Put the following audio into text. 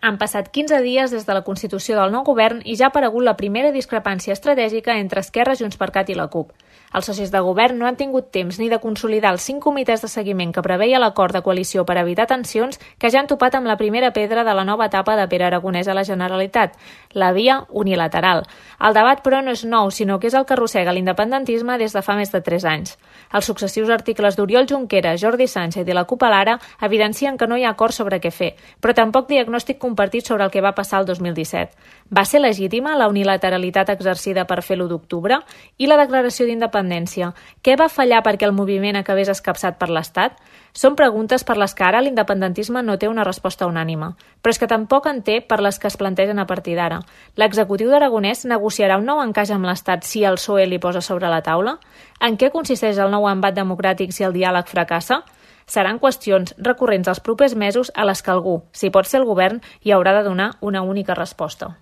Han passat 15 dies des de la constitució del nou govern i ja ha aparegut la primera discrepància estratègica entre Esquerra, JxCat i la CUP. Els socis de govern no han tingut temps ni de consolidar els 5 comitès de seguiment que preveia l'acord de coalició per evitar tensions que ja han topat amb la primera pedra de la nova etapa de Pere Aragonès a la Generalitat, la via unilateral. El debat, però, no és nou, sinó que és el que arrossega l'independentisme des de fa més de 3 anys. Els successius articles d'Oriol Junqueras, Jordi Sánchez i la CUP a l'Ara evidencien que no hi ha acord sobre què fer, però tampoc diagnòstic compartit sobre el que va passar el 2017. Va ser legítima la unilateralitat exercida per fer l'1 d'octubre? I la declaració d'independència? Què va fallar perquè el moviment acabés escapçat per l'Estat? Són preguntes per les que ara l'independentisme no té una resposta unànime, però és que tampoc en té per les que es plantegen a partir d'ara. L'executiu d'Aragonès negociarà un nou encaix amb l'Estat si el PSOE li posa sobre la taula? En què consisteix el nou embat democràtic si el diàleg fracassa? Seran qüestions recurrents els propers mesos a les que algú, si pot ser el govern, hi haurà de donar una única resposta.